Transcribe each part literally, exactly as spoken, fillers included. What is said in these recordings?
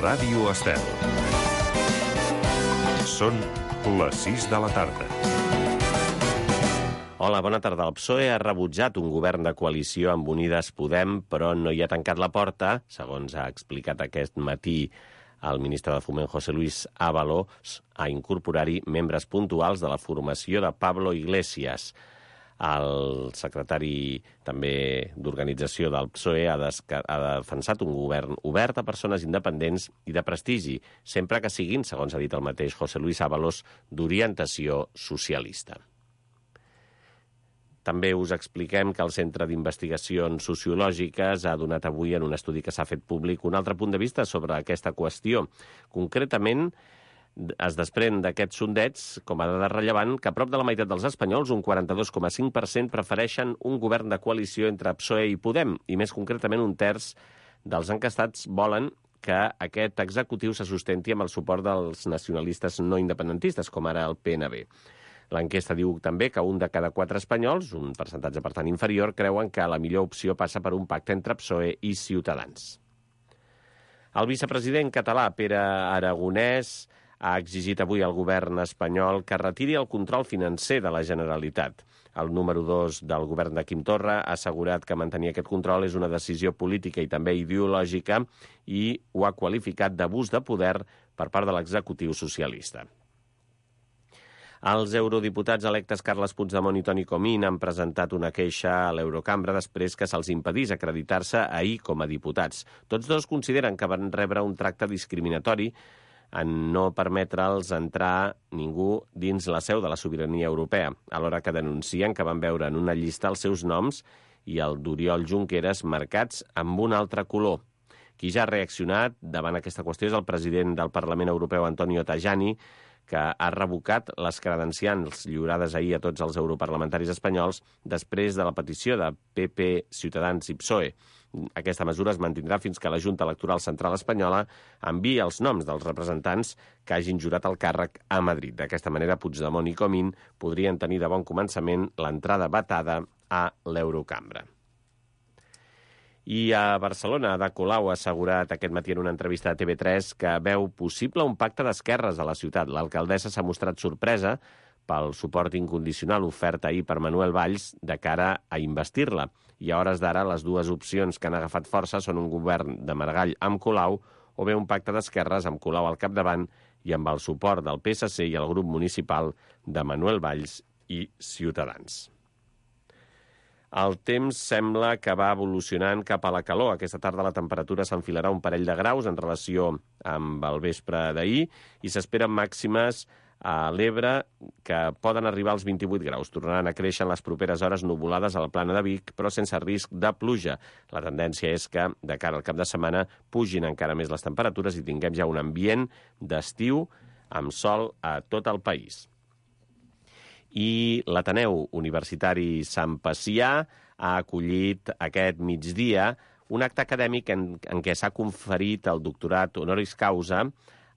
Ràdio Estel. Són les sis de la tarda. Hola, bona tarda. El P S O E ha rebutjat un govern de coalició amb Unides Podem, però no hi ha tancat la porta, segons ha explicat aquest matí el ministre de Foment, José Luis Ábalos, a incorporar-hi membres puntuals de la formació de Pablo Iglesias. El secretari també d'organització del P S O E ha, ha defensat un govern obert a persones independents i de prestigi, sempre que siguin, segons ha dit el mateix José Luis Ábalos, d'orientació socialista. També us expliquem que el Centre d'Investigacions Sociològiques ha donat avui en un estudi que s'ha fet públic un altre punt de vista sobre aquesta qüestió. Concretament, es desprèn d'aquests sondeigs, com a dada rellevant, que a prop de la meitat dels espanyols, un quaranta-dos coma cinc per cent, prefereixen un govern de coalició entre P S O E i Podem, i més concretament un terç dels encastats volen que aquest executiu se sustenti amb el suport dels nacionalistes no independentistes, com ara el P N B. L'enquesta diu també que un de cada quatre espanyols, un percentatge per tant inferior, creuen que la millor opció passa per un pacte entre P S O E i Ciutadans. El vicepresident català, Pere Aragonès, ha exigit avui al govern espanyol que retiri el control financer de la Generalitat. El número dos del govern de Quim Torra ha assegurat que mantenir aquest control és una decisió política i també ideològica i ho ha qualificat d'abús de poder per part de l'executiu socialista. Els eurodiputats electes Carles Puigdemont i Toni Comín han presentat una queixa a l'Eurocambra després que se'ls impedís acreditar-se ahir com a diputats. Tots dos consideren que van rebre un tracte discriminatori en no permetre'ls entrar ningú dins la seu de la sobirania europea, alhora que denuncien que van veure en una llista els seus noms i el d'Oriol Junqueras marcats amb un altre color. Qui ja ha reaccionat davant aquesta qüestió és el president del Parlament Europeu, Antonio Tajani, que ha revocat les credencials lliurades ahir a tots els europarlamentaris espanyols després de la petició de P P, Ciutadans i P S O E. Aquesta mesura es mantindrà fins que la Junta Electoral Central Espanyola enviï els noms dels representants que hagin jurat el càrrec a Madrid. D'aquesta manera, Puigdemont i Comín podrien tenir de bon començament l'entrada vetada a l'Eurocambra. I a Barcelona, Ada Colau ha assegurat aquest matí en una entrevista a T V tres que veu possible un pacte d'esquerres a la ciutat. L'alcaldessa s'ha mostrat sorpresa pel suport incondicional ofert ahir per Manuel Valls de cara a investir-la. I a hores d'ara, les dues opcions que han agafat força són un govern de Maragall amb Colau o bé un pacte d'esquerres amb Colau al capdavant i amb el suport del P S C i el grup municipal de Manuel Valls i Ciutadans. El temps sembla que va evolucionant cap a la calor. Aquesta tarda la temperatura s'enfilarà un parell de graus en relació amb el vespre d'ahir i s'esperen màximes a l'Ebre que poden arribar als vint-i-vuit graus. Tornaran a créixer en les properes hores nuvolades a la plana de Vic, però sense risc de pluja. La tendència és que, de cara al cap de setmana, pugin encara més les temperatures i tinguem ja un ambient d'estiu amb sol a tot el país. I l'Ateneu Universitari Sant Pacià ha acollit aquest migdia un acte acadèmic en, en què s'ha conferit el doctorat honoris causa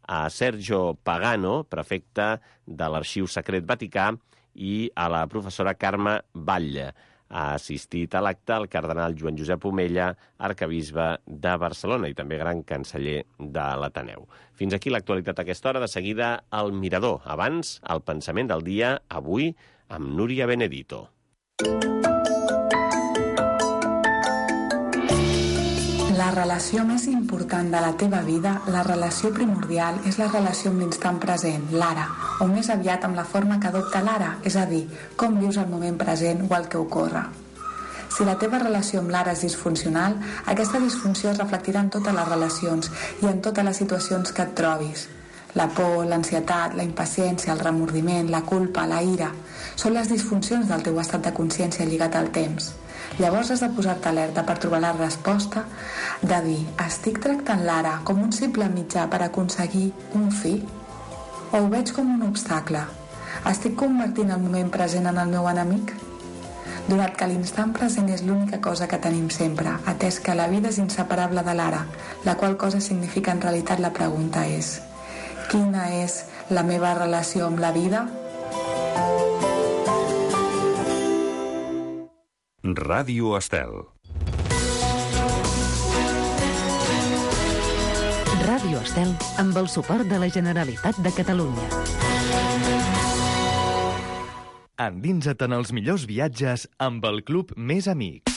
a Sergio Pagano, prefecte de l'Arxiu Secret Vaticà, i a la professora Carme Batlle. Ha assistit a l'acte el cardenal Joan Josep Omella, arcabisbe de Barcelona i també gran canceller de l'Ateneu. Fins aquí l'actualitat a aquesta hora. De seguida, el Mirador. Abans, el pensament del dia, avui, amb Núria Benedito. La relació més important de la teva vida, la relació primordial, és la relació amb l'instant present, l'ara, o més aviat amb la forma que adopta l'ara, és a dir, com vius el moment present o el que ocorre. Si la teva relació amb l'ara és disfuncional, aquesta disfunció es reflectirà en totes les relacions i en totes les situacions que et trobis. La por, l'ansietat, la impaciència, el remordiment, la culpa, la ira, són les disfuncions del teu estat de consciència lligat al temps. Llavors has de posar-te alerta per trobar la resposta de dir, estic tractant l'ara com un simple mitjà per aconseguir un fi? O ho veig com un obstacle? Estic convertint el moment present en el meu enemic? Donat que l'instant present és l'única cosa que tenim sempre, atès que la vida és inseparable de l'ara, la qual cosa significa en realitat la pregunta és: quina és la meva relació amb la vida? Ràdio Estel. Ràdio Estel. Estel amb el suport de la Generalitat de Catalunya. Endinsa't en els millors viatges amb el Club Més Amics.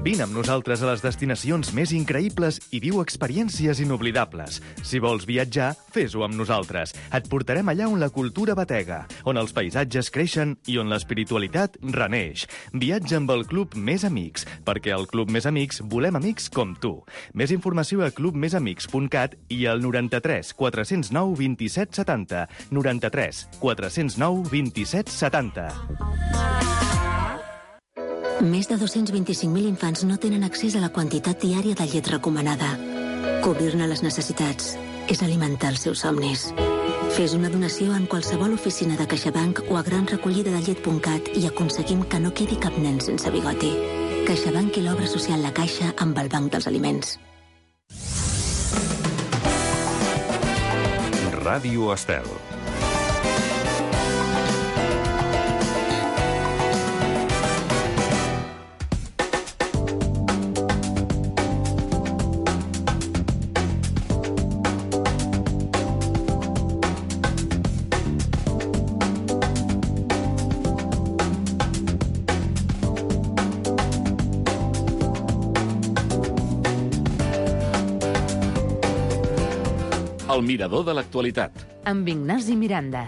Vine amb nosaltres a les destinacions més increïbles i viu experiències inoblidables. Si vols viatjar, fes-ho amb nosaltres. Et portarem allà on la cultura batega, on els paisatges creixen i on l'espiritualitat reneix. Viatja amb el Club Més Amics, perquè al Club Més Amics volem amics com tu. Més informació a club més amics punt cat i al noranta-tres quatre zero nou vint-i-set setanta. noranta-tres quatre zero nou vint-i-set setanta. Més de dos-cents vint-i-cinc mil infants no tenen accés a la quantitat diària de llet recomanada. Cobrir-ne les necessitats és alimentar els seus somnis. Fes una donació en qualsevol oficina de CaixaBank o a gran recollida de llet punt cat i aconseguim que no quedi cap nen sense bigoti. CaixaBank i l'obra social La Caixa amb el Banc dels Aliments. Ràdio Estel. El mirador de l'actualitat. Amb Ignasi Miranda.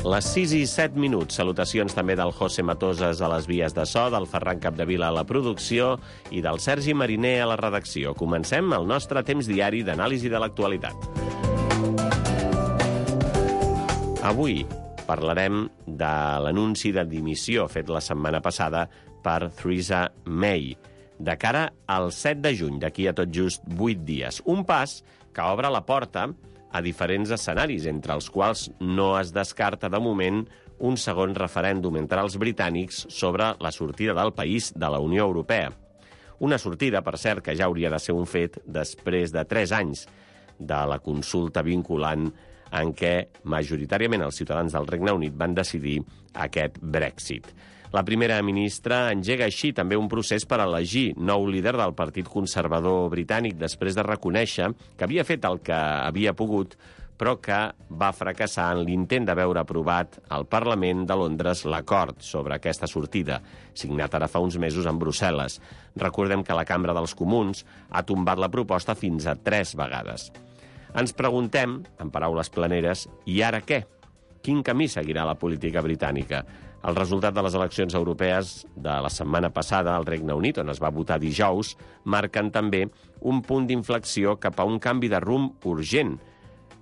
Les sis i set minuts. Salutacions també del José Matoses a les vies de so, del Ferran Capdevila a la producció i del Sergi Mariner a la redacció. Comencem el nostre temps diari d'anàlisi de l'actualitat. Avui parlarem de l'anunci de dimissió fet la setmana passada per Theresa May, de cara al set de juny, d'aquí a tot just vuit dies. Un pas que obre la porta a diferents escenaris, entre els quals no es descarta de moment un segon referèndum entre els britànics sobre la sortida del país de la Unió Europea. Una sortida, per cert, que ja hauria de ser un fet després de tres anys de la consulta vinculant en què majoritàriament els ciutadans del Regne Unit van decidir aquest Brexit. La primera ministra engega així també un procés per elegir nou líder del Partit Conservador britànic després de reconèixer que havia fet el que havia pogut, però que va fracassar en l'intent de veure aprovat al Parlament de Londres l'acord sobre aquesta sortida, signat ara fa uns mesos en Brussel·les. Recordem que la Cambra dels Comuns ha tombat la proposta fins a tres vegades. Ens preguntem, en paraules planeres, i ara què? Quin camí seguirà la política britànica? El resultat de les eleccions europees de la setmana passada al Regne Unit, on es va votar dijous, marquen també un punt d'inflexió cap a un canvi de rumb urgent,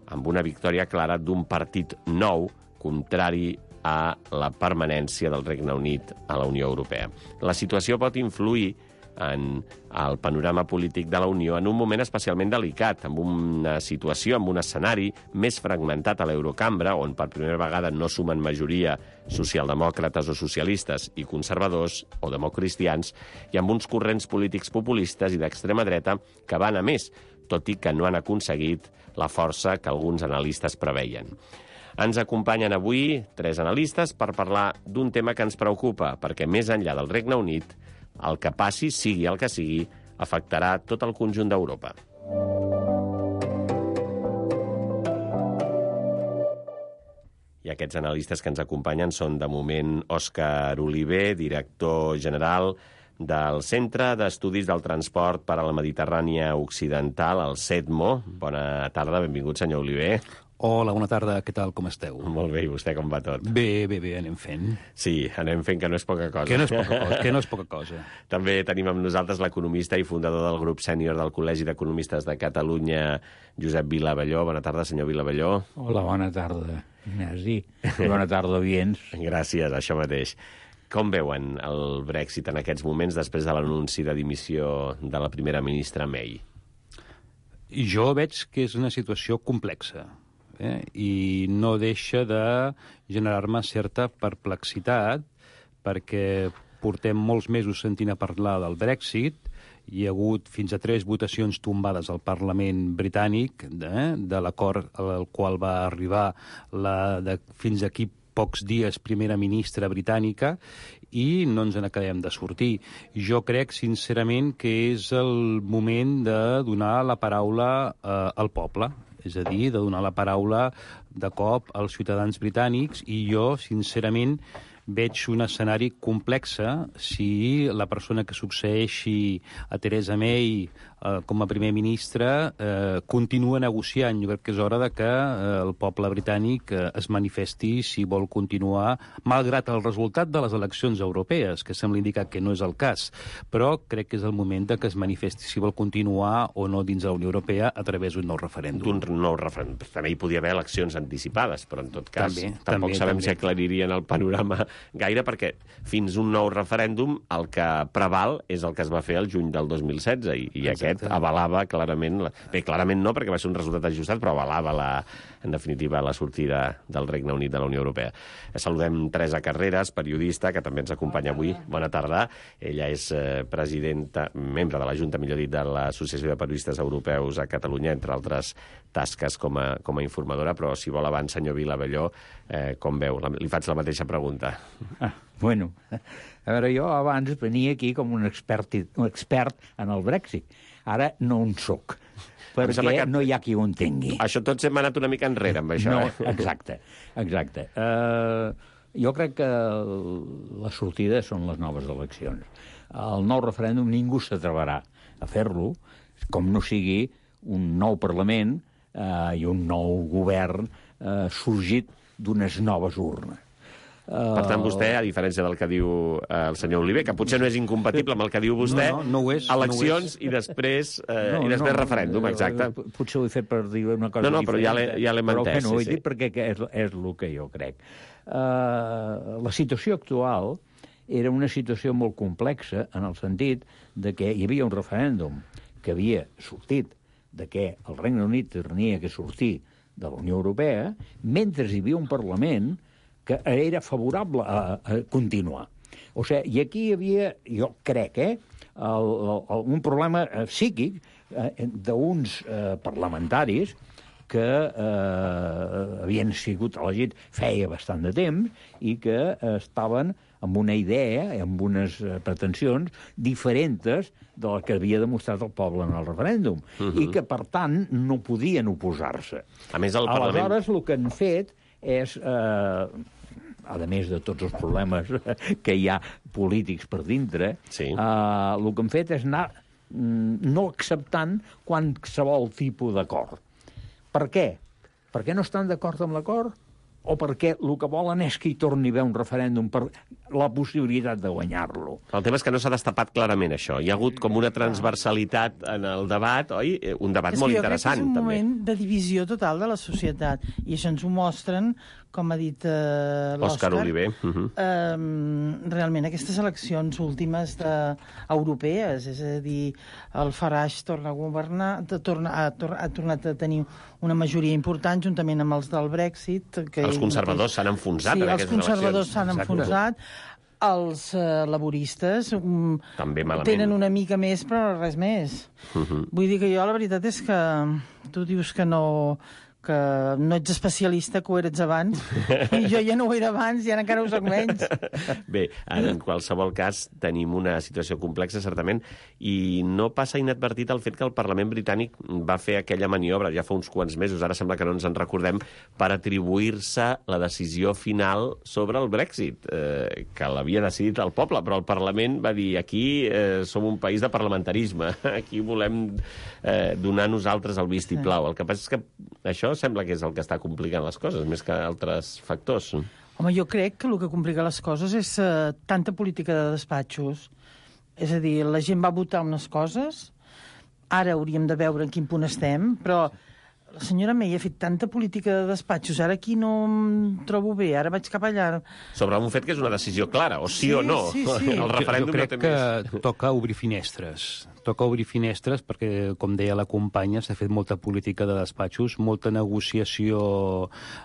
amb una victòria clara d'un partit nou, contrari a la permanència del Regne Unit a la Unió Europea. La situació pot influir en el panorama polític de la Unió en un moment especialment delicat, amb una situació, amb un escenari més fragmentat a l'Eurocambra, on per primera vegada no sumen majoria socialdemòcrates o socialistes i conservadors o democristians, i amb uns corrents polítics populistes i d'extrema dreta que van a més, tot i que no han aconseguit la força que alguns analistes preveien. Ens acompanyen avui tres analistes per parlar d'un tema que ens preocupa, perquè més enllà del Regne Unit, el que passi, sigui el que sigui, afectarà tot el conjunt d'Europa. I aquests analistes que ens acompanyen són, de moment, Òscar Oliver, director general del Centre d'Estudis del Transport per a la Mediterrània Occidental, el CETMO. Bona tarda, benvingut, senyor Oliver. Hola, bona tarda, què tal, com esteu? Molt bé, i vostè com va tot? Bé, bé, bé, anem fent. Sí, anem fent, que no és poca cosa. Que no és poca cosa, que no és poca cosa. També tenim amb nosaltres l'economista i fundador del grup sènior del Col·legi d'Economistes de Catalunya, Josep Vilavelló. Bona tarda, senyor Vilavelló. Hola, bona tarda, Ignasi. Bona tarda, oients. Gràcies, això mateix. Com veuen el Brexit en aquests moments després de l'anunci de dimissió de la primera ministra May? Jo veig que és una situació complexa. Eh? I no deixa de generar-me certa perplexitat, perquè portem molts mesos sentint a parlar del Brexit, hi ha hagut fins a tres votacions tombades al Parlament britànic de, de l'acord al qual va arribar la, de, fins aquí pocs dies primera ministra britànica, i no ens n'acabem de sortir. Jo crec, sincerament, que és el moment de donar la paraula eh, al poble, és a dir, de donar la paraula de cop als ciutadans britànics, i jo, sincerament, veig un escenari complex si la persona que succeeixi a Theresa May eh, com a primer ministre eh, continua negociant. Jo crec que és hora de que eh, el poble britànic eh, es manifesti si vol continuar, malgrat el resultat de les eleccions europees, que sembla indicar que no és el cas, però crec que és el moment de que es manifesti si vol continuar o no dins de la Unió Europea a través d'un nou referèndum. D'un nou referèndum. També hi podia haver eleccions anticipades, però en tot cas també, tampoc també, sabem també. si aclaririen el panorama gaire, perquè fins un nou referèndum el que preval és el que es va fer el juny del dos mil setze, i, i aquest avalava clarament... La... Bé, clarament no, perquè va ser un resultat ajustat, però avalava, la, en definitiva, la sortida del Regne Unit de la Unió Europea. Saludem Teresa Carreras, periodista, que també ens acompanya avui. Bona tarda. Ella és eh, presidenta, membre de la Junta, millor dit, de l'Associació de Periodistes Europeus a Catalunya, entre altres tasques com a, com a informadora, però si vol abans, senyor Vilabelló, eh, com veu? La, li faig la mateixa pregunta. Ah, bueno, a veure, jo abans venia aquí com un expert, un expert en el Brexit. Ara no en soc, perquè que... no hi ha qui ho entengui. Això tots hem anat una mica enrere amb això. No, eh? exacte, exacte. Uh, jo crec que la sortida són les noves eleccions. El nou referèndum ningú s'atreverà a fer-lo, com no sigui un nou Parlament uh, i un nou govern uh, sorgit d'unes noves urnes. Per tant, vostè, a diferència del que diu eh, el senyor Oliver, que potser no és incompatible amb el que diu vostè, no, no, no ho és, eleccions no ho és. i després, eh, no, i després no, referèndum, exacte. Potser ho he fet per dir una cosa no, no, diferent. però ja l'he ja l'hem però entès. que no ho he sí, dit sí. perquè és, és el que jo crec. Uh, la situació actual era una situació molt complexa en el sentit de que hi havia un referèndum que havia sortit de que el Regne Unit tenia que sortir de la Unió Europea, mentre hi havia un Parlament que era favorable a, a continuar. O sigui, i aquí hi havia, jo crec, eh, el, el, un problema psíquic eh, d'uns eh, parlamentaris que eh, havien sigut elegits feia bastant de temps i que eh, estaven amb una idea, amb unes eh, pretensions diferents de la que havia demostrat el poble en el referèndum, uh-huh. i que, per tant, no podien oposar-se. A més, el Parlament... Aleshores, el que han fet és... Eh, a més de tots els problemes que hi ha polítics per dintre, sí. eh, el que han fet és anar no acceptant qualsevol tipus d'acord. Per què? Perquè no estan d'acord amb l'acord? O perquè el que volen és que hi torni a haver un referèndum per la possibilitat de guanyar-lo? El tema és que no s'ha destapat clarament això. Hi ha hagut com una transversalitat en el debat, oi? Un debat molt interessant, també. És que jo crec que és un moment de divisió total de la societat, i això ens ho mostren, com ha dit eh, l'Òscar Oliver. Uh-huh. eh, realment aquestes eleccions últimes de, europees, és a dir, el Farage torna a governar, torna, ha, ha tornat a tenir una majoria important juntament amb els del Brexit. Que els conservadors s'han enfonsat sí, en aquestes eleccions. Els conservadors s'han enfonsat. Els eh, laboristes um, també malament. Tenen una mica més, però res més. Uh-huh. Vull dir que jo la veritat és que tu dius que no... que no ets especialista, que ho eres abans, i jo ja no ho era abans, i ara encara ho soc menys. Bé, en qualsevol cas, tenim una situació complexa, certament, i no passa inadvertit el fet que el Parlament britànic va fer aquella maniobra ja fa uns quants mesos, ara sembla que no ens en recordem, per atribuir-se la decisió final sobre el Brexit, eh, que l'havia decidit el poble, però el Parlament va dir, aquí eh, som un país de parlamentarisme, aquí volem eh, donar nosaltres el vistiplau. El que passa és que això sembla que és el que està complicant les coses, més que altres factors. Home, jo crec que el que complica les coses és uh, tanta política de despatxos. És a dir, la gent va votar unes coses, ara hauríem de veure en quin punt estem, però La senyora May ha fet tanta política de despatxos, ara aquí no em trobo bé, ara vaig cap allà. Sobre un fet que és una decisió clara, o sí, sí o no. Sí, sí. El referèndum jo, jo crec no té més. que toca obrir finestres. Toca obrir finestres perquè, com deia la companya, s'ha fet molta política de despatxos, molta negociació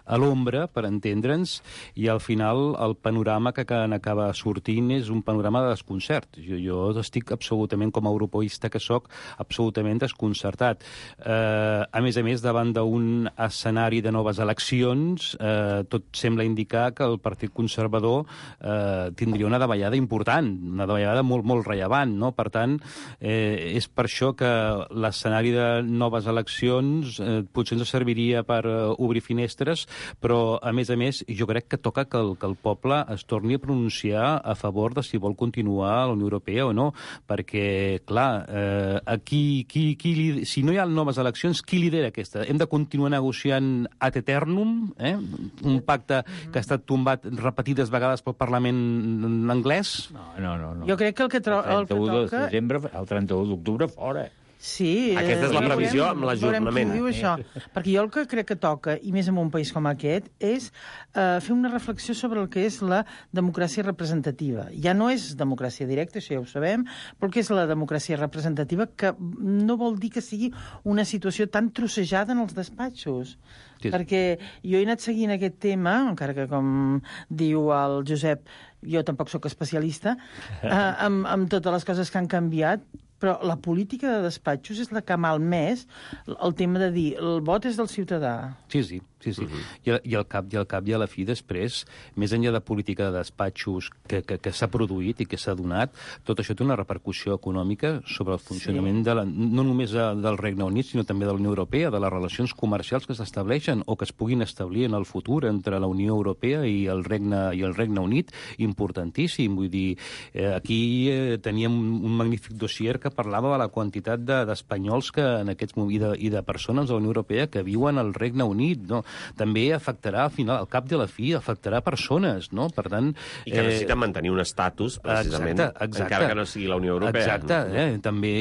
a l'ombra, per entendre'ns, i al final el panorama que acaba sortint és un panorama de desconcert. Jo, jo estic absolutament, com a europeista que sóc, absolutament desconcertat. Eh, a més a més, davant d'un escenari de noves eleccions, eh, tot sembla indicar que el Partit Conservador eh, tindria una davallada important, una davallada molt, molt rellevant, no? Per tant, eh, és per això que l'escenari de noves eleccions eh, potser ens serviria per eh, obrir finestres, però, a més a més, jo crec que toca que el, que el poble es torni a pronunciar a favor de si vol continuar a la Unió Europea o no, perquè, clar, eh, aquí, qui, qui, si no hi ha noves eleccions, qui lidera aquesta? Hem de continuar negociant ad eternum, eh? Un pacte que ha estat tombat repetides vegades pel Parlament anglès? No, no, no. no. Jo crec que el que, tro el que toca... de desembre, el trenta-u d'octubre, fora. Sí. Aquesta és la previsió amb l'ajornament. Veurem qui diu això. Perquè jo el que crec que toca, i més en un país com aquest, és eh, fer una reflexió sobre el que és la democràcia representativa. Ja no és democràcia directa, això ja ho sabem, però que és la democràcia representativa, que no vol dir que sigui una situació tan trossejada en els despatxos. Sí. Perquè jo he anat seguint aquest tema, encara que, com diu el Josep, jo tampoc sóc especialista, eh, amb, amb totes les coses que han canviat, però la política de despatxos és la que ha malmès el tema de dir el vot és del ciutadà. Sí, sí. Sí, sí. Uh-huh. I, i, al cap, I al cap i a la fi, després, més enllà de política de despatxos que, que, que s'ha produït i que s'ha donat, tot això té una repercussió econòmica sobre el funcionament sí. de la, no només del Regne Unit, sinó també de la Unió Europea, de les relacions comercials que s'estableixen o que es puguin establir en el futur entre la Unió Europea i el Regne, i el Regne Unit, importantíssim. Vull dir, eh, aquí eh, teníem un magnífic dossier que parlava de la quantitat d'espanyols de, que en aquests moments, i, de, i de persones de la Unió Europea que viuen al Regne Unit, no? També afectarà, al final, al cap de la fi, afectarà persones, no? Per tant... I que necessiten eh, mantenir un estatus, precisament, exacte, exacte. encara que no sigui la Unió Europea. Exacte, eh? També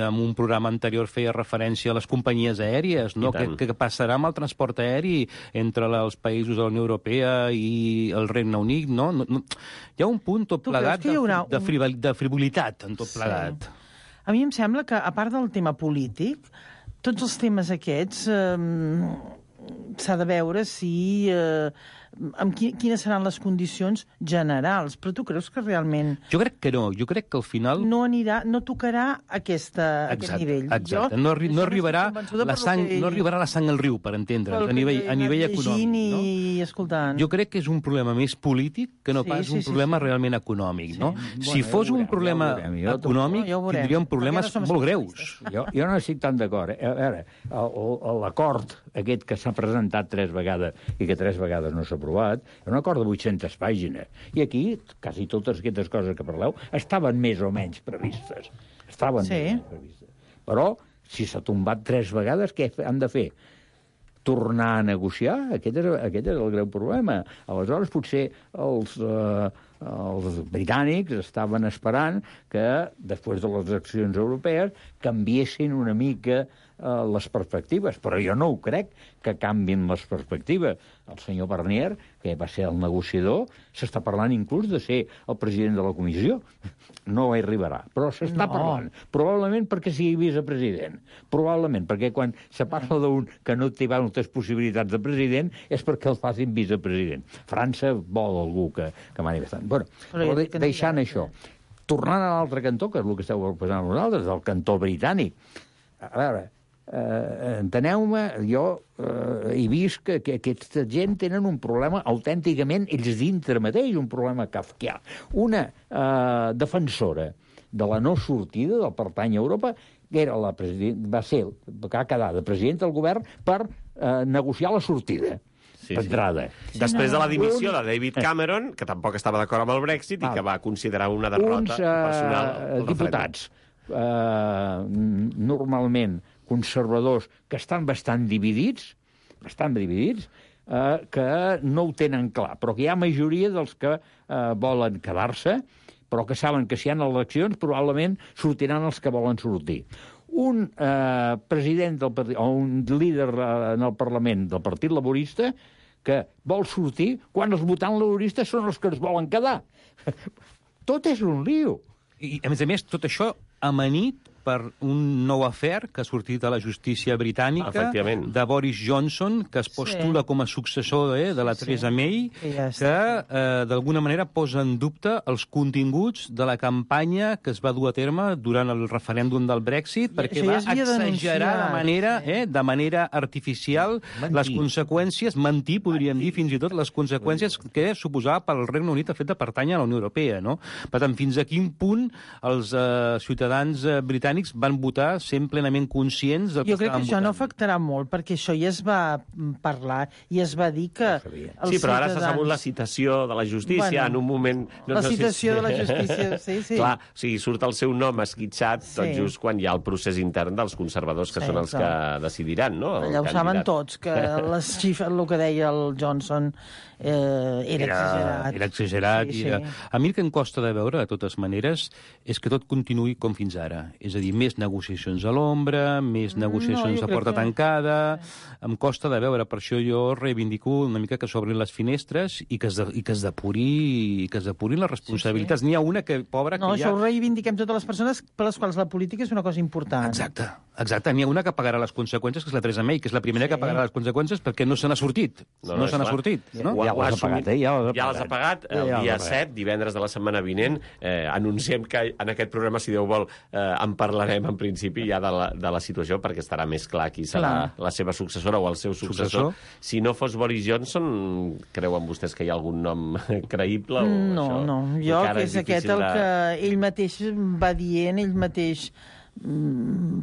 en un programa anterior feia referència a les companyies aèries, no? Què, què passarà amb el transport aeri entre els països de la Unió Europea i el Regne Unit, no? no, no. Hi ha un punt tot plegat de, de, frivol, de frivolitat en tot plegat. Sí. A mi em sembla que, a part del tema polític, tots els temes aquests... Eh, s'ha de veure si... Eh, amb qui, quines seran les condicions generals. Però tu creus que realment... Jo crec que no. Jo crec que al final... No anirà, no tocarà aquesta, exacte, aquest nivell. Exacte. Jo, no, arri no, arribarà la sang, que... no arribarà la sang al riu, per entendre'ns, a nivell, a nivell econòmic. No? I escoltant. Jo crec que és un problema més polític que no sí, pas sí, un sí, problema sí. realment econòmic. Sí. No? Sí. Si bueno, fos ja un veurem, problema ja veurem, ja econòmic, ja tindríem problemes no molt greus. Jo, jo no estic tan d'acord. A veure, l'acord aquest que s'ha presentat tres vegades i que tres vegades no s'ha aprovat, és un acord de vuit-centes pàgines. I aquí, quasi totes aquestes coses que parleu, estaven més o menys previstes. Estaven sí. més o menys previstes. Però, si s'ha tombat tres vegades, què han de fer? Tornar a negociar? Aquest és, aquest és el greu problema. Aleshores, potser els, eh, els britànics estaven esperant que, després de les eleccions europees, canviessin una mica eh, les perspectives, però jo no ho crec que canvin les perspectives. El senyor Barnier, que va ser el negociador, s'està parlant inclús de ser el president de la comissió. No hi arribarà, però s'està no. parlant. Probablement perquè sigui vicepresident. Probablement perquè quan se parla d'un que no té moltes possibilitats de president és perquè el facin vicepresident. França vol algú que, que mani bastant. Bueno, però de, deixant això, tornant a l'altre cantó, que és el que esteu passant vosaltres, el cantó britànic. A veure, eh, enteneu-me, jo eh, he vist que, que aquesta gent tenen un problema autènticament ells dintre mateix, un problema kafkià. Una eh, defensora de la no sortida del pertany a Europa, que era la president, va ser, que ha quedat de president del govern per eh, negociar la sortida. Sí, d'entrada. Sí. Després de la dimissió de David Cameron, que tampoc estava d'acord amb el Brexit i que va considerar una derrota uns, uh, personal. Diputats, uh, normalment conservadors, que estan bastant dividits, bastant dividits, uh, que no ho tenen clar, però que hi ha majoria dels que uh, volen quedar-se, però que saben que si hi ha eleccions probablement sortiran els que volen sortir. un eh, president del partit, o un líder eh, en el Parlament del Partit Laborista que vol sortir quan els votants laboristes són els que es volen quedar. Tot és un lío. I, a més a més, tot això amanit per un nou afer que ha sortit a la justícia britànica de Boris Johnson, que es postula sí. com a successor eh, de la Theresa sí. May, ja que eh, d'alguna manera posa en dubte els continguts de la campanya que es va dur a terme durant el referèndum del Brexit, I perquè va ja exagerar de manera, sí. eh, de manera artificial mentir. les conseqüències, mentir, podríem mentir. dir, fins i tot les conseqüències que suposava pel Regne Unit el fet de pertànyer a la Unió Europea. No? Per tant, fins a quin punt els eh, ciutadans eh, britànics van votar sent plenament conscients del que Jo crec que això votant. no afectarà molt, perquè això ja es va parlar i es va dir que... Sí, però ara s'ha sabut la citació de la justícia bueno, en un moment... No, la citació no sé si... de la justícia, sí, sí. Clar, o sigui, surt el seu nom esquitxat sí. tot just quan hi ha el procés intern dels conservadors, que sí, són els clar. que decidiran, no? Allà ho saben tots, que les xifres, el que deia el Johnson, eh, era, era exagerat. Era exagerat. Sí, i era... sí. A mi el que em costa de veure, de totes maneres, és que tot continuï com fins ara. És a dir, més negociacions a l'ombra, més negociacions no, a porta que... tancada... Em costa de veure, per això jo reivindico una mica que s'obrin les finestres i que es, de, i que es depuri i que es depurin les responsabilitats. Sí, sí. N'hi ha una que, pobra, no, que ja... No, això ho reivindiquem totes les persones per les quals la política és una cosa important. Exacte, exacte. N'hi ha una que pagarà les conseqüències, que és la Theresa May, que és la primera sí. que pagarà les conseqüències perquè no se n'ha sortit. No, no, no se n'ha sortit. No? Ja, ja les ha pagat, eh? Ja les ha pagat. Ja les ha pagat. El ja dia set, divendres de la setmana vinent, eh, anunciem que en aquest programa, si Déu vol, eh, en parlarem en principi ja de la, de la situació, perquè estarà més clar qui serà clar. la seva successora o el seu successor. successor. Si no fos Boris Johnson, creuen vostès que hi ha algun nom creïble? O no, això no. Jo, que és, és aquest el de... que ell mateix va dient, ell mateix,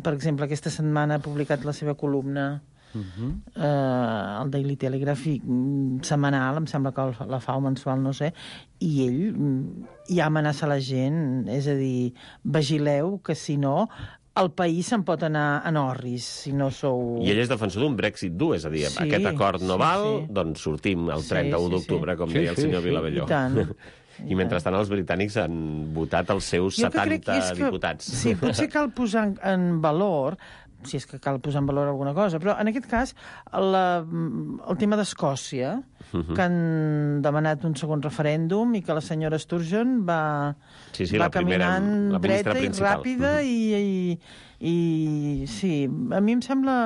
per exemple, aquesta setmana ha publicat la seva columna Uh-huh. eh, el Daily Telegraph i, setmanal, em sembla que la fa o mensual, no sé, i ell ja amenaça la gent, és a dir, vigileu que si no el país se'n pot anar en orris, si no sou... I ell és defensor d'un Brexit dur, és a dir, sí, aquest acord no sí, val, sí. doncs sortim el trenta-u sí, sí, d'octubre, com sí, deia el senyor sí, Vilabelló. I tant. I mentrestant els britànics han votat els seus jo setanta que, diputats. Sí, potser cal posar en, en valor, si és que cal posar en valor alguna cosa, però en aquest cas la, el tema d'Escòcia, uh-huh. que han demanat un segon referèndum i que la senyora Sturgeon va, sí, sí, va la primera, caminant la dreta i principal. ràpida uh-huh. i, i, i sí, a mi em sembla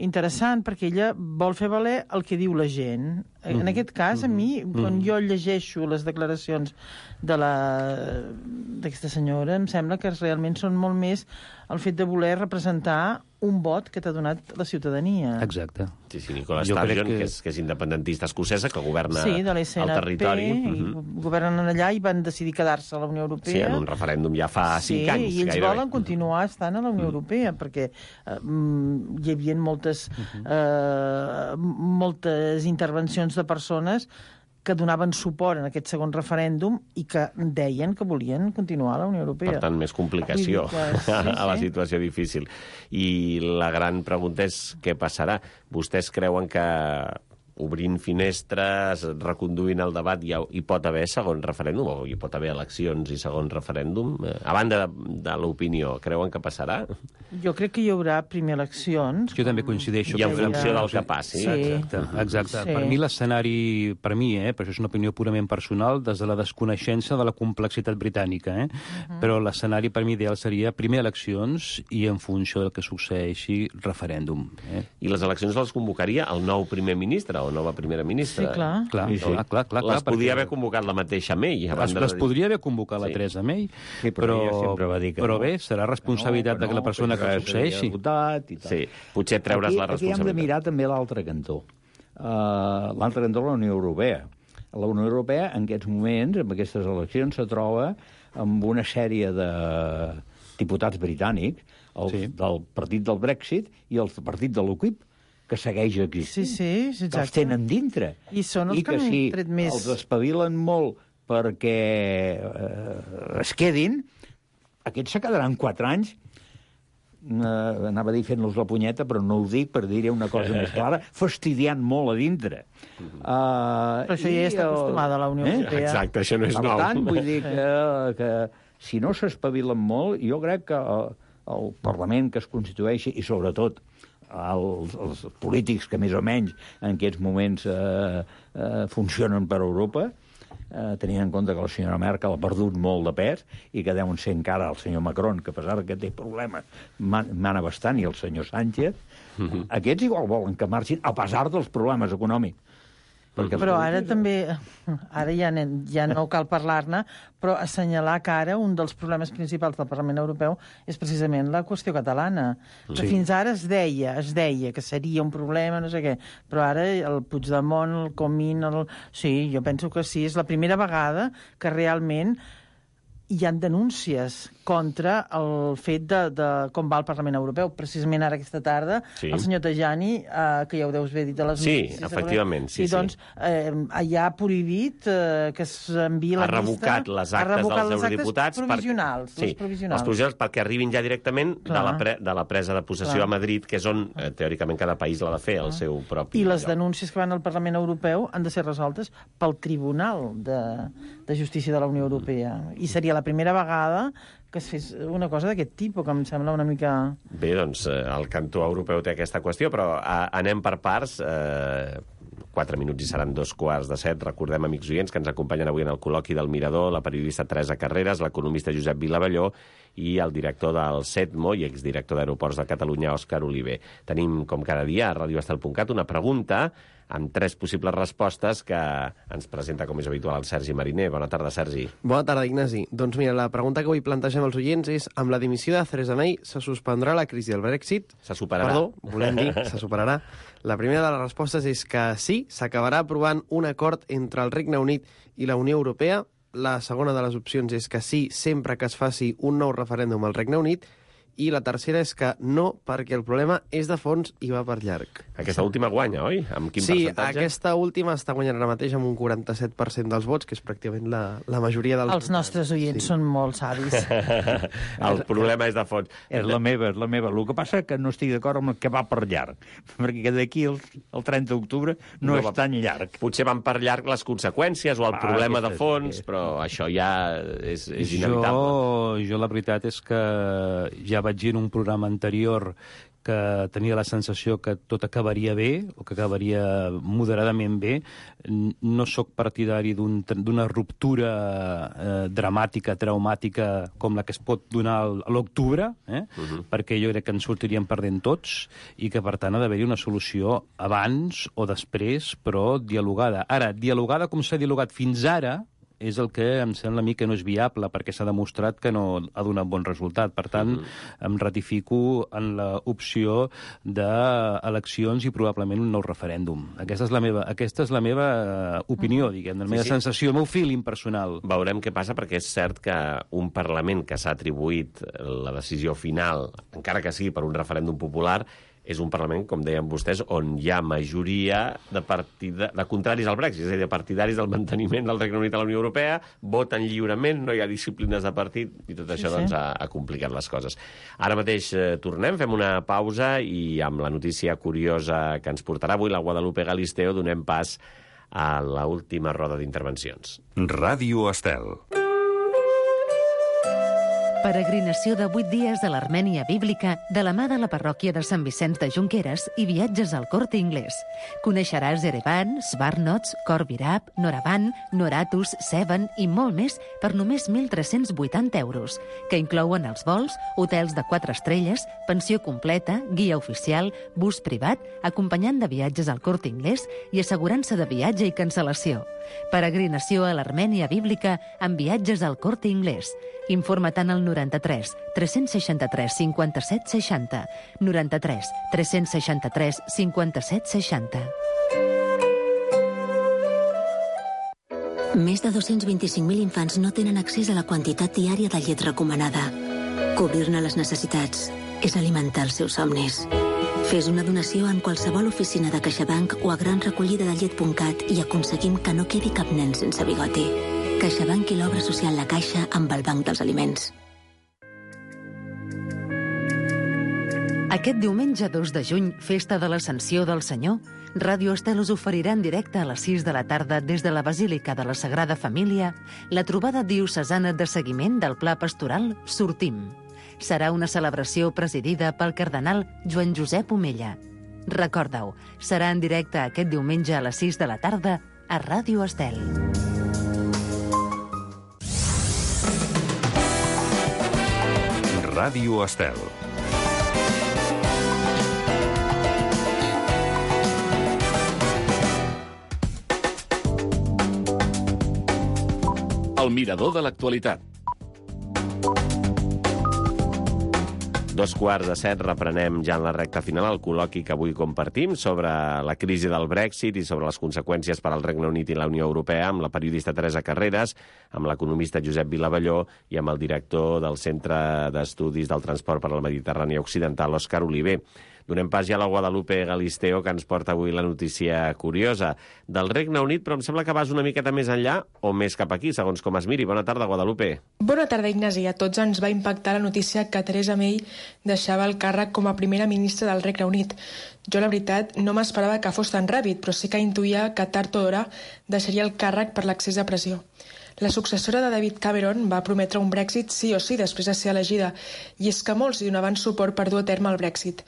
interessant perquè ella vol fer valer el que diu la gent. Mm-hmm. En aquest cas, a mi, mm-hmm. quan jo llegeixo les declaracions de la d'aquesta senyora, em sembla que realment són molt més el fet de voler representar un vot que t'ha donat la ciutadania. Exacte. Sí, sí, Nicola Sturgeon, que... que, és, que és independentista escocesa, que governa sí, el territori. Mm-hmm. Governen allà i van decidir quedar-se a la Unió Europea. Sí, en un referèndum ja fa sí, cinc anys. Sí, i ells gairebé. volen continuar estant a la Unió mm. Europea, perquè eh, hi havia moltes, mm-hmm. eh, moltes intervencions de persones que donaven suport en aquest segon referèndum i que deien que volien continuar a la Unió Europea. Per tant, més complicació que, sí, sí. a la situació difícil. I la gran pregunta és què passarà. Vostès creuen que obrint finestres, reconduint el debat, hi, ha, hi pot haver segon referèndum, o hi pot haver eleccions i segon referèndum? A banda de, de l'opinió, creuen que passarà? Jo crec que hi haurà primer eleccions. Jo també coincideixo. I en funció del que passi. Sí. Exacte. Exacte. Sí. Per mi l'escenari, per mi, eh, però això és una opinió purament personal, des de la desconeixença de la complexitat britànica, eh? Uh-huh. Però l'escenari per mi ideal seria primer eleccions i en funció del que succeeixi referèndum. Eh? I les eleccions les convocaria el nou primer ministre o nova primera ministra. Sí, clar. clar, sí, sí. clar, clar, clar les clar, podia perquè... haver convocat la mateixa May. Les, les podria haver convocat la sí. Theresa May, sí, però, però, va dir que però no. bé, serà responsabilitat que no, que, no, de la persona que, que succeeixi. Votat i tal. Sí, potser treure's aquí, la responsabilitat. Aquí hem de mirar també l'altre cantó. Uh, l'altre cantó de la Unió Europea. La Unió Europea, en aquests moments, amb aquestes eleccions, se troba amb una sèrie de diputats britànics, el, sí. del partit del Brexit i el partit de l'UKIP, que segueix existint, sí, sí, exacte. que els tenen dintre. I són els I que, que si tret més... els espavilen molt perquè eh, es quedin, aquests se quedaran quatre anys, eh, anava a dir fent-los la punyeta, però no ho dic per dir una cosa més clara, fastidiant molt a dintre. Uh, però això ja està acostumada a la Unió Europea. Eh? Exacte, això no és per nou. Per tant, vull dir que, que si no s'espavilen molt, jo crec que... Uh, el Parlament que es constitueixi i, sobretot, els, els polítics que més o menys en aquests moments eh, eh, funcionen per Europa, eh, tenint en compte que la senyora Merkel ha perdut molt de pes i que deuen ser encara el senyor Macron, que a pesar que té problemes mana bastant, i el senyor Sánchez, mm-hmm. aquests igual volen que marxin a pesar dels problemes econòmics. Perquè però ara també, ara ja, ja no cal parlar-ne, però assenyalar que ara un dels problemes principals del Parlament Europeu és precisament la qüestió catalana. Que sí. Fins ara es deia, es deia que seria un problema, no sé què, però ara el Puigdemont, el Comín, el... sí, jo penso que sí, és la primera vegada que realment hi ha denúncies contra el fet de, de com va el Parlament Europeu. Precisament ara aquesta tarda, sí. El senyor Tajani, eh, que ja ho deus haver dit a les sí, notícies... Sí, efectivament, sí, sí. Doncs eh, ja ha prohibit eh, que s'enviï la llista... Ha revocat les actes revocat dels eurodiputats... Les provisionals, per... sí, les provisionals. Els provisionals perquè arribin ja directament de la, pre... de la presa de possessió Clar. a Madrid, que és on, eh, teòricament, cada país l'ha de fer, el seu propi... I les lloc. denúncies que van al Parlament Europeu han de ser resoltes pel Tribunal de, de Justícia de la Unió Europea. I seria la primera vegada que es fes una cosa d'aquest tipus, que em sembla una mica... Bé, doncs, el cantó europeu té aquesta qüestió, però a, anem per parts. Eh, quatre minuts i seran dos quarts de set. Recordem, amics oients, que ens acompanyen avui en el col·loqui del Mirador la periodista Teresa Carreras, l'economista Josep Vilavalló i el director del SETMO i exdirector d'Aeroports de Catalunya, Òscar Oliver. Tenim, com cada dia, a radio estel punt cat, una pregunta amb tres possibles respostes que ens presenta, com és habitual, el Sergi Mariner. Bona tarda, Sergi. Bona tarda, Ignasi. Doncs mira, la pregunta que avui plantegem als oients és: amb la dimissió de Theresa May se suspendrà la crisi del Brexit? Se superarà. Perdó, volem dir, se superarà. La primera de les respostes és que sí, s'acabarà aprovant un acord entre el Regne Unit i la Unió Europea. La segona de les opcions és que sí, sempre que es faci un nou referèndum al Regne Unit. I la tercera és que no, perquè el problema és de fons i va per llarg. Aquesta última guanya, oi? Amb quin sí, percentatge? Sí, aquesta última està guanyant ara mateix amb un quaranta-set per cent dels vots, que és pràcticament la, la majoria dels... Els nostres oients sí. són molt savis. El problema és de fons. És la meva, és la meva. El que passa és que no estic d'acord amb el que va per llarg, perquè d'aquí el, el trenta d'octubre no, no és va, tan llarg. Potser van per llarg les conseqüències o el ah, problema de fons, és, però això ja és, és inevitable. Jo, jo la veritat és que ja vaig dir en un programa anterior que tenia la sensació que tot acabaria bé, o que acabaria moderadament bé. No sóc partidari d'un, d'una ruptura eh, dramàtica, traumàtica, com la que es pot donar a l'octubre, eh? uh-huh. perquè jo crec que ens sortiríem perdent tots, i que, per tant, ha d'haver-hi una solució abans o després, però dialogada. Ara, dialogada com s'ha dialogat fins ara, és el que em sembla a mi que no és viable, perquè s'ha demostrat que no ha donat bon resultat. Per tant, mm-hmm. em ratifico en l'opció d'eleccions i probablement un nou referèndum. Aquesta és la meva, aquesta és la meva opinió, diguem, la meva sí, sí. sensació, el meu feeling personal. Veurem què passa, perquè és cert que un Parlament que s'ha atribuït la decisió final, encara que sigui per un referèndum popular, és un Parlament, com deien vostès, on hi ha majoria de, partida, de contraris al Brexit, és a dir, de partidaris del manteniment del Regne Unit a la Unió Europea, voten lliurement, no hi ha disciplines de partit, i tot això sí, doncs, sí. Ha, ha complicat les coses. Ara mateix eh, tornem, fem una pausa, i amb la notícia curiosa que ens portarà avui la Guadalupe Galisteo donem pas a l'última roda d'intervencions. Ràdio Estel. Peregrinació de vuit dies a l'Armènia bíblica de la mà de la parròquia de Sant Vicenç de Junqueras i viatges al Corte Inglés. Coneixeràs Erevan, Svarnots, Corvirab, Noravan, Noratus, Sevan i molt més per només mil tres-cents vuitanta euros, que inclouen els vols, hotels de quatre estrelles, pensió completa, guia oficial, bus privat, acompanyant de viatges al Corte Inglés i assegurança de viatge i cancel·lació. Peregrinació a l'Armènia bíblica amb viatges al Corte Inglés. Informa-te'n al noranta-tres tres-cents seixanta-tres cinquanta-set seixanta, noranta-tres tres-cents seixanta-tres cinquanta-set seixanta. Més de dos-cents vint-i-cinc mil infants no tenen accés a la quantitat diària de llet recomanada. Cobrir-ne les necessitats és alimentar els seus somnis. Fes una donació en qualsevol oficina de CaixaBank o a gran recollida de llet punt cat i aconseguim que no quedi cap nen sense bigoti. CaixaBank i l'obra social La Caixa amb el Banc dels Aliments. Aquest diumenge dos de juny, festa de l'Ascensió del Senyor, Ràdio Estel us oferirà en directe a les sis de la tarda des de la Basílica de la Sagrada Família la trobada diocesana de seguiment del Pla Pastoral Sortim. Serà una celebració presidida pel cardenal Joan Josep Omella. Recorda-ho, serà en directe aquest diumenge a les sis de la tarda a Ràdio Estel. Ràdio Estel. El mirador de l'actualitat. Dos quarts de set reprenem ja en la recta final el col·loqui que avui compartim sobre la crisi del Brexit i sobre les conseqüències per al Regne Unit i la Unió Europea amb la periodista Teresa Carreras, amb l'economista Josep Vilavalló i amb el director del Centre d'Estudis del Transport per la Mediterrània Occidental, Òscar Oliver. Donem pas ja a la Guadalupe Galisteo, que ens porta avui la notícia curiosa del Regne Unit, però em sembla que vas una miqueta més enllà o més cap aquí, segons com es miri. Bona tarda, Guadalupe. Bona tarda, Ignasi. A tots ens va impactar la notícia que Theresa May deixava el càrrec com a primera ministra del Regne Unit. Jo, la veritat, no m'esperava que fos tan ràpid, però sí que intuïa que tard o d'hora deixaria el càrrec per l'excés de pressió. La successora de David Cameron va prometre un Brexit sí o sí després de ser elegida, i és que molts hi donaven suport per dur a terme el Brexit.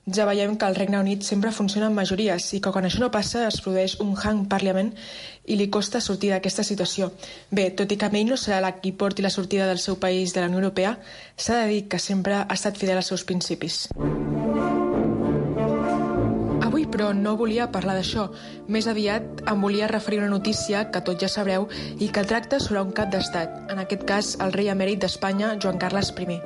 Ja veiem que el Regne Unit sempre funciona en majories i que quan això no passa es produeix un hang parliament i li costa sortir d'aquesta situació. Bé, tot i que May no serà la qui porti la sortida del seu país de la Unió Europea, s'ha de dir que sempre ha estat fidel als seus principis. Avui, però, no volia parlar d'això. Més aviat em volia referir a una notícia que tots ja sabreu i que tracta sobre un cap d'estat, en aquest cas el rei emèrit d'Espanya, Joan Carles primer.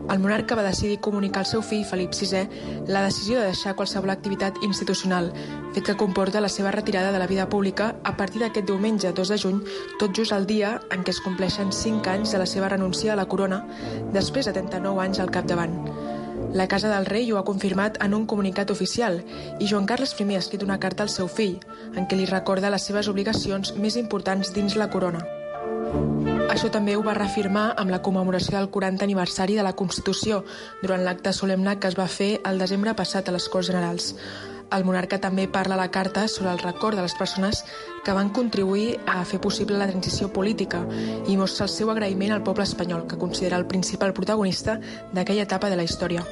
El monarca va decidir comunicar al seu fill, Felip sisè, la decisió de deixar qualsevol activitat institucional, fet que comporta la seva retirada de la vida pública a partir d'aquest diumenge, dos de juny, tot just el dia en què es compleixen cinc anys de la seva renúncia a la corona, després de trenta-nou anys al capdavant. La Casa del Rei ho ha confirmat en un comunicat oficial i Joan Carles primer ha escrit una carta al seu fill, en què li recorda les seves obligacions més importants dins la corona. Això també ho va reafirmar amb la commemoració del quarantè aniversari de la Constitució durant l'acte solemne que es va fer el desembre passat a les Corts Generals. El monarca també parla a la carta sobre el record de les persones que van contribuir a fer possible la transició política i mostra el seu agraïment al poble espanyol, que considera el principal protagonista d'aquella etapa de la història.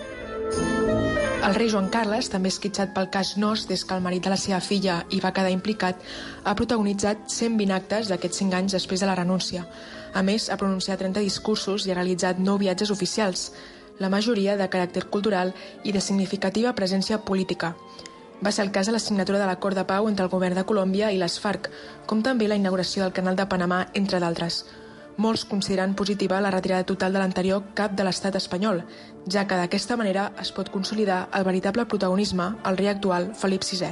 El rei Joan Carles, també esquitxat pel cas Nos des que el marit de la seva filla hi va quedar implicat, ha protagonitzat cent vint actes d'aquests cinc anys després de la renúncia. A més, ha pronunciat trenta discursos i ha realitzat nou viatges oficials, la majoria de caràcter cultural i de significativa presència política. Va ser el cas de la signatura de l'acord de pau entre el govern de Colòmbia i les FARC, com també la inauguració del Canal de Panamà, entre d'altres. Molts consideren positiva la retirada total de l'anterior cap de l'estat espanyol, ja que d'aquesta manera es pot consolidar el veritable protagonisme al rei actual, Felip sisè.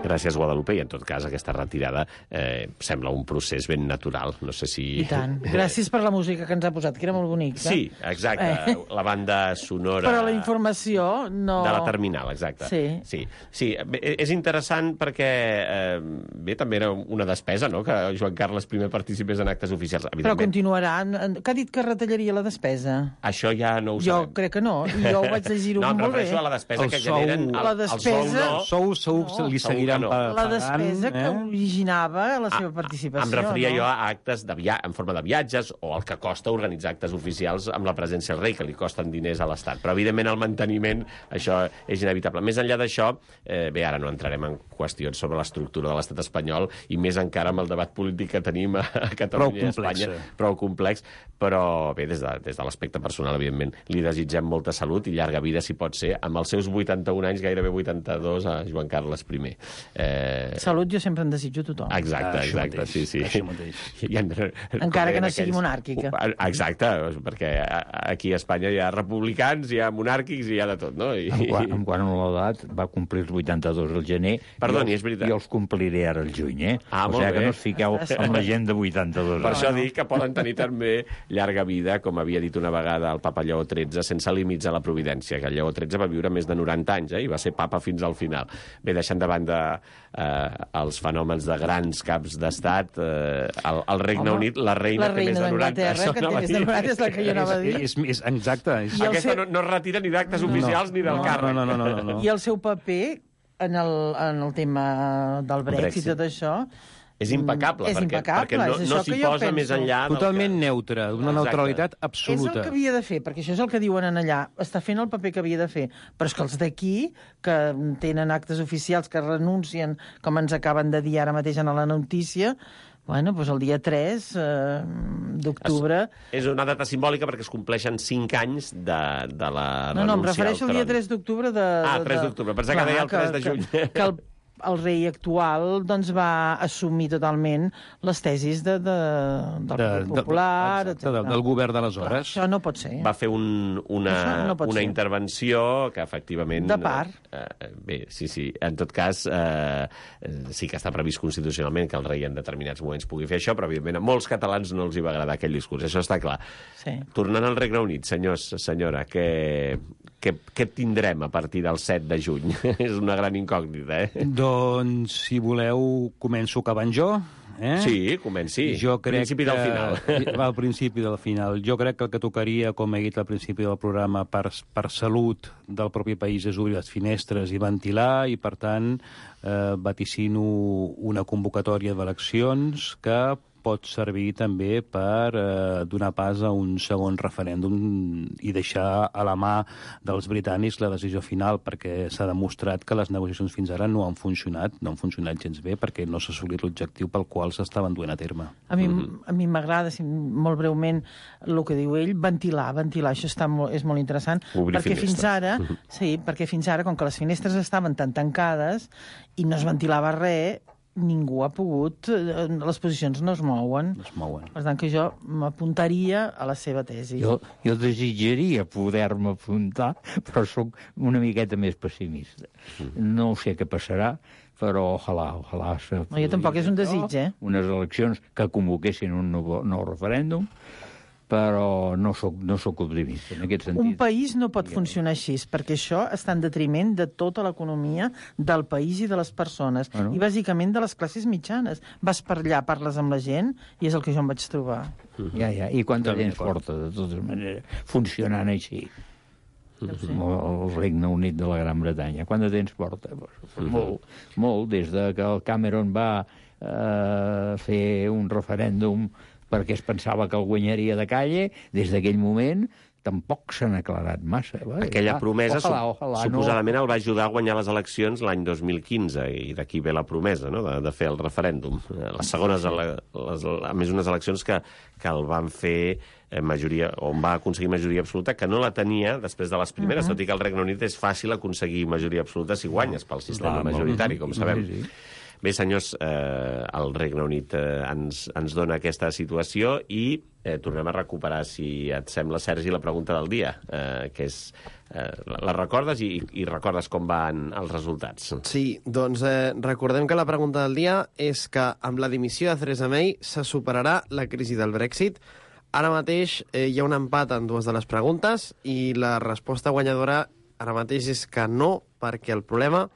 Gràcies, Guadalupe, i en tot cas aquesta retirada eh, sembla un procés ben natural. No sé si... I tant. Gràcies per la música que ens ha posat, que era molt bonica. Sí, exacte. Eh. La banda sonora... Però la informació no... De la terminal, exacte. Sí. Sí, sí. Bé, és interessant perquè, eh, bé, també era una despesa, no?, que Joan Carles primer participés en actes oficials. Però continuarà. Que ha dit que retallaria la despesa? Això ja no ho jo sabem. Jo crec que no. Jo ho vaig llegir-ho no, molt bé. No, em refereixo a la despesa el que sou, generen... El, la despesa... El sou, no. Sou, sou, no. li seguirà No. La despesa eh? que originava la seva participació. Em referia no? jo a actes de via... en forma de viatges o el que costa organitzar actes oficials amb la presència del rei, que li costen diners a l'Estat. Però, evidentment, el manteniment, això és inevitable. Més enllà d'això, eh, bé, ara no entrarem en qüestions sobre l'estructura de l'Estat espanyol i més encara amb el debat polític que tenim a Catalunya i a Espanya. Prou complex. Però, bé, des de, des de l'aspecte personal, evidentment, li desitgem molta salut i llarga vida, si pot ser, amb els seus vuitanta-un anys, gairebé vuitanta-dos, a Joan Carles primer. Eh, Salut jo sempre en desitjo a tothom. Exacte, ah, exacte, mateix, sí, sí. I en, encara que no sigui aquells... monàrquica. Exacte, perquè aquí a Espanya hi ha republicans, hi ha monàrquics i hi ha de tot, no? I... En, quant, en quant a l'edat, va complir els vuitanta-dos al gener. Perdoni, i els, és veritat. I els compliré ara al juny, eh? Ah, o sigui que no us fiqueu amb la gent de vuitanta-dos. Per no, això no. dic que poden tenir també llarga vida, com havia dit una vegada el papa Lleó tretze, sense límits a la providència, que el Lleó tretze va viure més de noranta anys, eh? I va ser papa fins al final. Bé, deixant de banda eh, els fenòmens de grans caps d'estat, eh, el, el Regne Home, Unit, la reina, la reina té més de noranta. La reina que té més de noranta és la que jo anava a dir. És, és, és, exacte. És... Aquesta no, no es retira ni d'actes oficials no, ni del no, càrrec. No, no, no, no, no. I el seu paper en el, en el tema del Brexit, Brexit. i tot això És impecable, és perquè, impecable, perquè no, és no això s'hi que jo posa penso. més enllà... Totalment que... neutre, una Exacte. neutralitat És el absoluta. que havia de fer, perquè això és el que diuen en allà. Està fent el paper que havia de fer. Però és que els d'aquí, que tenen actes oficials, que renuncien, com ens acaben de dir ara mateix en la notícia, bueno, doncs el dia tres eh, d'octubre... És una data simbòlica perquè es compleixen cinc anys de, de la No, no, em renúncia refereixo al dia tres d'octubre de... Ah, de, tres d'octubre, pensava que deia el tres de juny. Que, que el el rei actual doncs, va assumir totalment les tesis de, de, del De- Partit de- Popular, exacte, del, del govern d'aleshores. Això no pot ser. Va fer un, una, no pot una ser. intervenció que, efectivament... De part. Eh, bé, sí, sí. En tot cas, eh, sí que està previst constitucionalment que el rei en determinats moments pugui fer això, però, evidentment, a molts catalans no els hi va agradar aquell discurs. Això està clar. Sí. Tornant al Regne Unit, senyors, senyora, què, què, què tindrem a partir del set de juny? És una gran incògnita, eh? Doncs, si voleu, començo acabant jo. Eh? Sí, comenci. Jo crec Principi del final. Que, va al principi del final. Jo crec que el que tocaria, com he dit al principi del programa, per, per salut del propi país és obrir les finestres i ventilar, i, per tant, eh, vaticino una convocatòria d'eleccions que pot servir també per eh, donar pas a un segon referèndum i deixar a la mà dels britànics la decisió final, perquè s'ha demostrat que les negociacions fins ara no han funcionat, no han funcionat gens bé, perquè no s'ha assolit l'objectiu pel qual s'estaven duent a terme. A mi mm-hmm. a mi m'agrada, si, molt breument, el que diu ell, ventilar, ventilar, això està molt, és molt interessant, Obrir perquè finestres. fins ara, sí, perquè fins ara, com que les finestres estaven tan tancades i no es ventilava res, ningú ha pogut, les posicions no es mouen. No es mouen. Per tant, que jo m'apuntaria a la seva tesi. Jo, jo desitjaria poder-me apuntar, però sóc una miqueta més pessimista. No sé què passarà, però ojalà, ojalà... No, jo tampoc és un desig, eh? Unes eleccions que convoquessin un nou, nou referèndum, però no soc, no soc optimista en aquest sentit. Un país no pot funcionar així, perquè això està en detriment de tota l'economia del país i de les persones, Bueno. i bàsicament de les classes mitjanes. Vas per allà, parles amb la gent, i és el que jo em vaig trobar. Ja, ja. I quant de També temps d'acord. porta, de totes maneres, funcionant així? El Regne Unit de la Gran Bretanya. Quant de temps porta? Pues, molt, molt, des de que el Cameron va eh, fer un referèndum perquè es pensava que el guanyaria de calle, des d'aquell moment tampoc s'han aclarat massa. Va, Aquella ja, promesa, ojalà, su ojalà, suposadament no. el va ajudar a guanyar les eleccions l'any dos mil quinze, i d'aquí ve la promesa, no?, de, de fer el referèndum. Les segones, les, a més, unes eleccions que, que el van fer eh, majoria, on va aconseguir majoria absoluta, que no la tenia després de les primeres, uh -huh. tot i que al Regne Unit és fàcil aconseguir majoria absoluta si guanyes pel sistema Clar, majoritari, com sabem. Sí, sí. Bé, senyors, eh, el Regne Unit eh, ens, ens dona aquesta situació i eh, tornem a recuperar, si et sembla, Sergi, la pregunta del dia, eh, que és... Eh, la recordes i, i recordes com van els resultats? Sí, doncs eh, recordem que la pregunta del dia és que amb la dimissió de Theresa May se superarà la crisi del Brexit. Ara mateix eh, hi ha un empat en dues de les preguntes i la resposta guanyadora ara mateix és que no, perquè el problema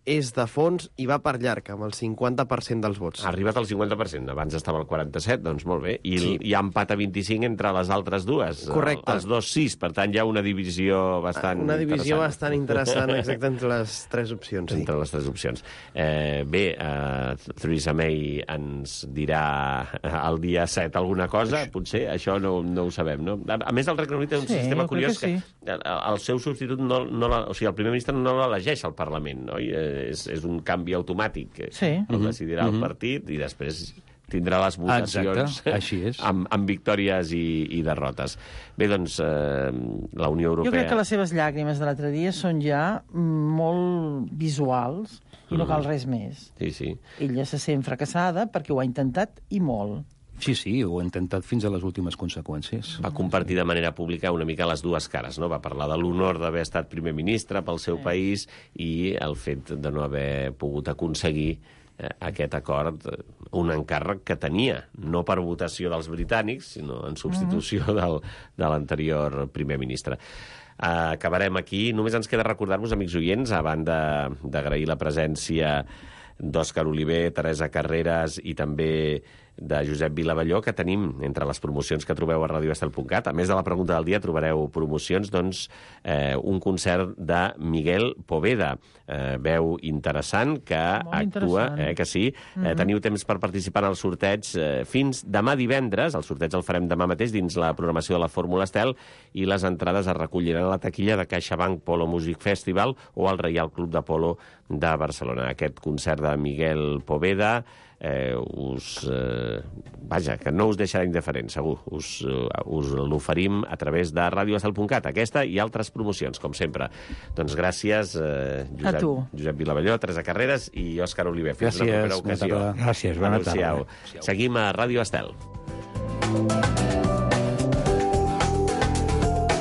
és de fons i va per llarg, amb el cinquanta per cent dels vots. Ha arribat al cinquanta per cent, abans estava al quaranta-set, doncs molt bé. I Sí. hi ha empat a vint-i-cinc entre les altres dues. Correcte. Els dos sis, per tant hi ha una divisió bastant Una divisió interessant. bastant interessant, exacte, entre les tres opcions. Sí. Entre les tres opcions. Eh, bé, eh, Theresa May ens dirà el dia set alguna cosa, potser, això no, no ho sabem, no? A, a més, el Regne Unit té un Sí, sistema jo crec curiós que que, sí. el, el seu substitut, no, no la, o sigui, el primer ministre no l'elegeix al Parlament, no? I, eh, és, és un canvi automàtic. Sí. El decidirà el partit i després tindrà les votacions. Exacte, així és. amb, amb victòries i, i derrotes. Bé, doncs, eh, la Unió Europea... Jo crec que les seves llàgrimes de l'altre dia són ja molt visuals i no cal res més. Sí, sí. Ella se sent fracassada perquè ho ha intentat i molt. Sí, sí, ho he intentat fins a les últimes conseqüències. Va compartir de manera pública una mica les dues cares, no? Va parlar de l'honor d'haver estat primer ministre pel seu país i el fet de no haver pogut aconseguir eh, aquest acord, eh, un encàrrec que tenia, no per votació dels britànics, sinó en substitució mm-hmm. del, de l'anterior primer ministre. Uh, acabarem aquí. Només ens queda recordar-vos, amics oients, a banda d'agrair la presència d'Òscar Oliver, Teresa Carreras i també de Josep Vilavelló, que tenim entre les promocions que trobeu a radio estel punt cat. A més de la pregunta del dia, trobareu promocions, doncs, eh, un concert de Miguel Poveda, eh, veu interessant, que Molt actua, interessant. eh, que sí. Mhm. Eh, teniu temps per participar en el sorteig eh, fins demà divendres. El sorteig el farem demà mateix dins la programació de la Fórmula Estel, i les entrades es recolliran a la taquilla de CaixaBank Polo Music Festival o al Reial Club de Polo de Barcelona. Aquest concert de Miguel Poveda eh, us... Eh, vaja, que no us deixarà indiferent, segur. Us, uh, us l'oferim a través de radio estel punt cat, aquesta i altres promocions, com sempre. Doncs gràcies, eh, Josep, A tu. Josep Vilavelló, Teresa Carreras i Òscar Oliver. Fins Gràcies, una propera bona ocasió. tarda. Gràcies, bona Adéu-siau. tarda. Seguim a Ràdio Estel.